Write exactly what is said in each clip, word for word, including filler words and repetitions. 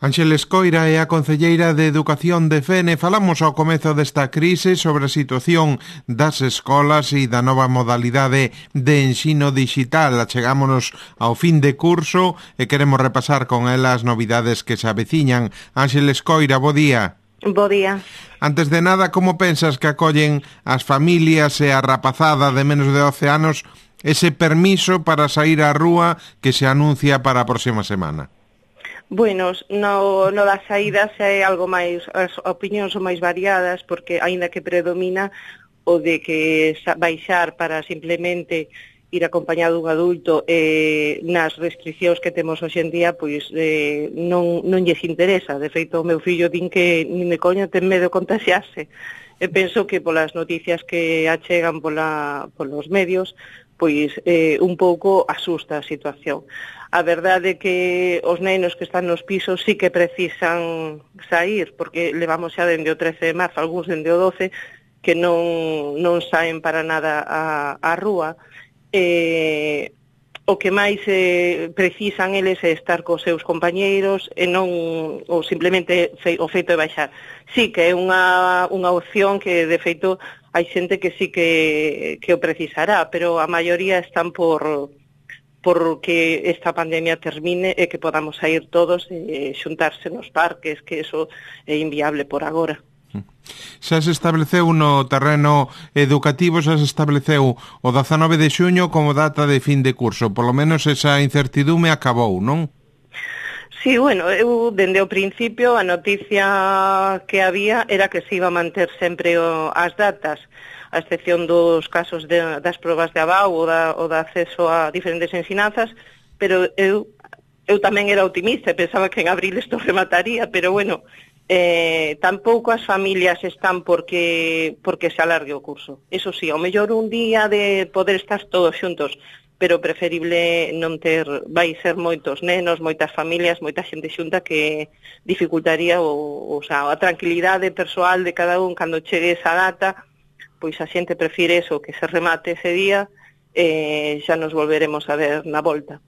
Ánxeles Coira é a concelleira de Educación de Fene. Falamos ao comezo desta crise sobre a situación das escolas e da nova modalidade de ensino digital. Achegámonos ao fin de curso e queremos repasar con ela as novidades que se aveciñan. Ánxeles Coira, bo día. Bo día. Antes de nada, como pensas que acollen as familias e a rapazada de menos de doce anos ese permiso para sair á rúa que se anuncia para a próxima semana? Bueno, no, no das saídas é algo máis, as opinións son máis variadas, porque aínda que predomina o de que baixar para simplemente ir acompañado dun adulto eh, nas restriccións que temos hoxe en día, pois eh, non, non lles interesa. De feito, o meu fillo din que nin de coña ten medo de contaxiarse. E penso que polas noticias que achegan pola, polos medios, pois eh, un pouco asusta a situación. A verdade é que os nenos que están nos pisos sí que precisan sair, porque levamos xa dende o trece de marzo, algúns dende o doce, que non, non saen para nada a, a rúa. Eh, o que máis eh, precisan eles é estar cos seus compañeiros e non ou simplemente fe, o feito de baixar. Sí que é unha, unha opción que, de feito, hai xente que sí que, que o precisará, pero a maioría están por... porque esta pandemia termine e que podamos sair todos e xuntarse nos parques, que eso é inviable por agora. Xa se estableceu no terreno educativo, xa se estableceu o dezanove de xuño como data de fin de curso. Por lo menos esa incertidume acabou, non? Sí, bueno, eu dende o principio a noticia que había era que se iba a manter sempre o, as datas, a excepción dos casos de, das probas de abao ou da, ou da acceso a diferentes ensinanzas, pero eu, eu tamén era optimista e pensaba que en abril isto remataría, pero bueno, eh, tampouco as familias están porque, porque se alargue o curso. Eso sí, ao mellor un día de poder estar todos xuntos, pero preferible non ter, vai ser moitos nenos, moitas familias, moita xente xunta que dificultaría o, o, sea, a tranquilidade persoal de cada un cando chegue esa data. Pois a xente prefire eso, que se remate ese día e eh, xa nos volveremos a ver na volta.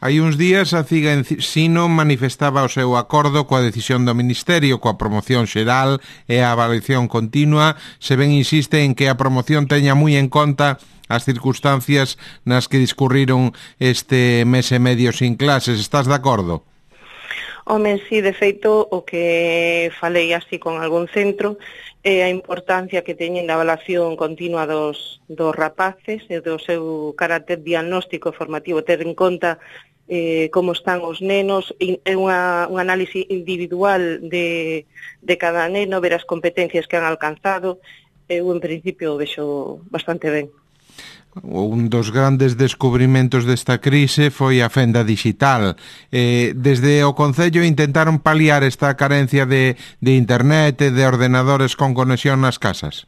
Hai uns días a Ciga Ensino manifestaba o seu acordo coa decisión do Ministerio, coa promoción xeral e a avaliación continua, se ben insiste en que a promoción teña moi en conta as circunstancias nas que discurriron este mes e medio sin clases. Estás de acordo? Home, sí, de feito, o que falei así con algún centro é a importancia que teñen da evaluación continua dos, dos rapaces e do seu carácter diagnóstico e formativo, ter en conta eh, como están os nenos, é unha, un análise individual de, de cada neno, ver as competencias que han alcanzado. Eu, en principio, o vexo bastante ben. Un dos grandes descubrimentos desta crise foi a fenda digital. Eh, desde o Concello intentaron paliar esta carencia de, de internet e de ordenadores con conexión nas casas?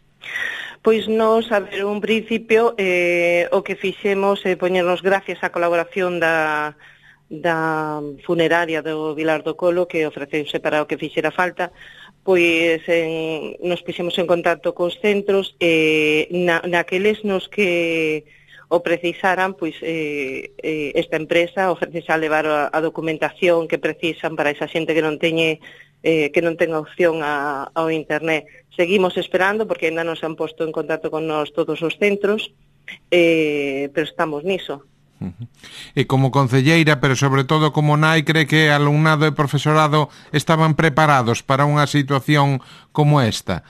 Pois nos, a ver, un principio, eh, o que fixemos é eh, poñernos gracias á colaboración da, da funeraria do Vilar do Colo, que ofreceuse para o que fixera falta, pois en, nos puxemos en contacto cos centros e na, naqueles nos que o precisaran, pois eh, eh, esta empresa ofrece a levar a, a documentación que precisan para esa xente que non teñe eh, que non ten opción a, ao internet. Seguimos esperando porque ainda non se han posto en contacto con nós todos os centros, eh, pero estamos niso. E como concelleira, pero sobre todo como nai, cree que alumnado e profesorado estaban preparados para unha situación como esta?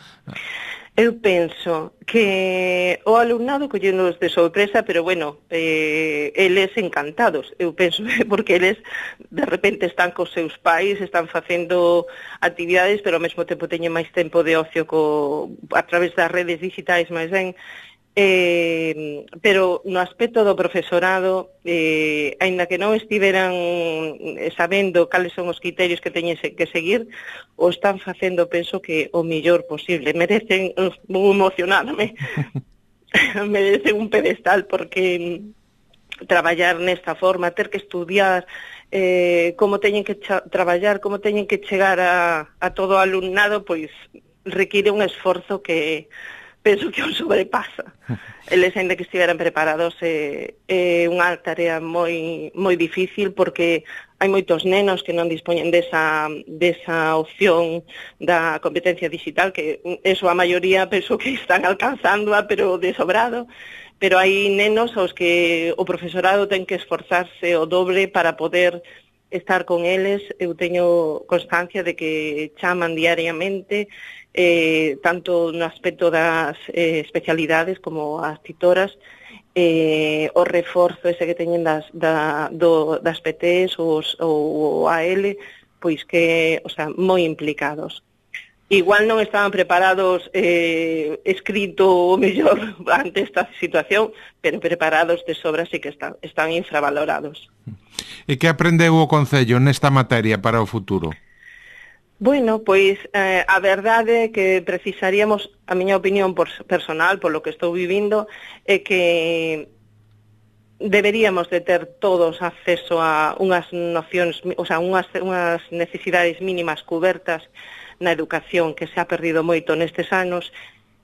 Eu penso que o alumnado collenos de sorpresa, pero bueno, eh, eles encantados. Eu penso porque eles de repente están cos seus pais, están facendo actividades, pero ao mesmo tempo teñen máis tempo de ocio co, a través das redes digitais máis ben. Eh, pero no aspecto do profesorado, eh, aínda que non estiveran sabendo cales son os criterios que teñen que seguir, o están facendo, penso que o mellor posible. Merecen, vou emocionarme, merecen un pedestal, porque traballar nesta forma, ter que estudiar eh, como teñen que traballar, como teñen que chegar a, a todo o alumnado, pois require un esforzo que penso que o sobrepasa. Eles, ainda que estiveran preparados, é, é unha tarea moi moi difícil, porque hai moitos nenos que non dispoñen desa, desa opción da competencia digital, que eso a maioría penso que están alcanzándoa, pero de sobrado, pero hai nenos aos que o profesorado ten que esforzarse o doble para poder estar con eles. Eu teño constancia de que chaman diariamente, eh, tanto no aspecto das eh, especialidades como as titoras, eh, o reforzo ese que teñen das, da, do, das P Ts ou o A L, pois que, o sea, moi implicados. Igual non estaban preparados eh, escrito o mellor ante esta situación, pero preparados de sobra sí que están, están infravalorados. E que aprendeu o Concello nesta materia para o futuro? Bueno, pois eh, a verdade é que precisaríamos, a miña opinión por personal, polo que estou vivindo, é que deberíamos de ter todos acceso a unhas nocións, o sea, unhas, unhas necesidades mínimas cubertas na educación, que se ha perdido moito nestes anos,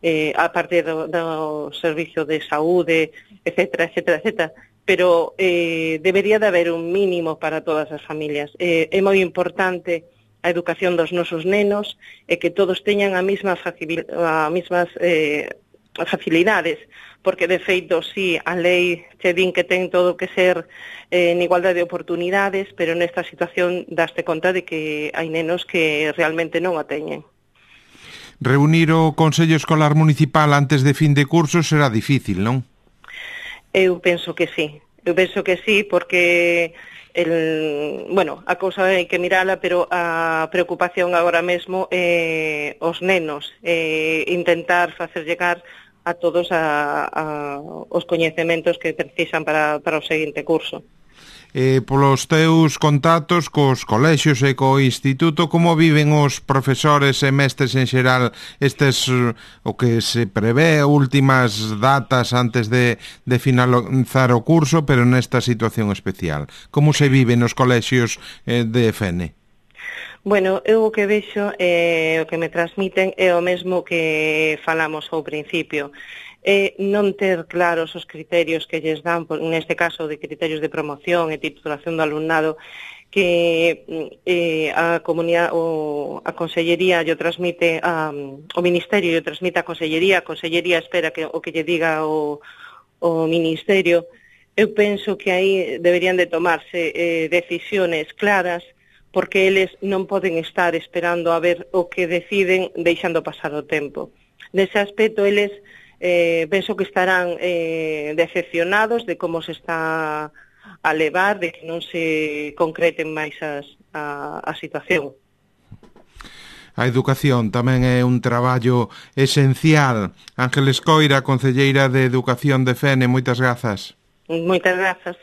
eh, a partir do, do servicio de saúde, etcétera, etcétera, etcétera, pero eh, debería de haber un mínimo para todas as familias. Eh, é moi importante a educación dos nosos nenos e que todos teñan a mesma a mesmas eh, facilidades, porque de feito sí, a lei che din que ten todo que ser eh, en igualdade de oportunidades, pero nesta situación daste conta de que hai nenos que realmente non a teñen. Reunir o Consello Escolar Municipal antes de fin de curso será difícil, non? Eu penso que sí, eu penso que sí, porque el, bueno, a cousa hai que mirala, pero a preocupación agora mesmo é eh, os nenos, eh, intentar facer llegar a todos a, a, os coñecementos que precisan para, para o seguinte curso. Eh, polos teus contactos cos colexios e co instituto, como viven os profesores e mestres en xeral estes, o que se prevé, últimas datas antes de, de finalizar o curso, pero nesta situación especial? Como se vive nos colexios eh, de F N? Bueno, eu o que vexo, eh, o que me transmiten é o mesmo que falamos ao principio. É non ter claros os criterios que lles dan, neste caso de criterios de promoción e titulación do alumnado, que eh, a comunidade, o, a Consellería lle transmite, a, o Ministerio lle transmite a Consellería, a Consellería espera que o que lle diga o, o Ministerio. Eu penso que aí deberían de tomarse eh, decisiones claras, porque eles non poden estar esperando a ver o que deciden deixando pasar o tempo. Nese aspecto, eles eh, penso que estarán eh, decepcionados de como se está a levar, de que non se concreten máis as, a, a situación. A educación tamén é un traballo esencial. Ángeles Coira, concelleira de Educación de F N, moitas grazas. Moitas grazas.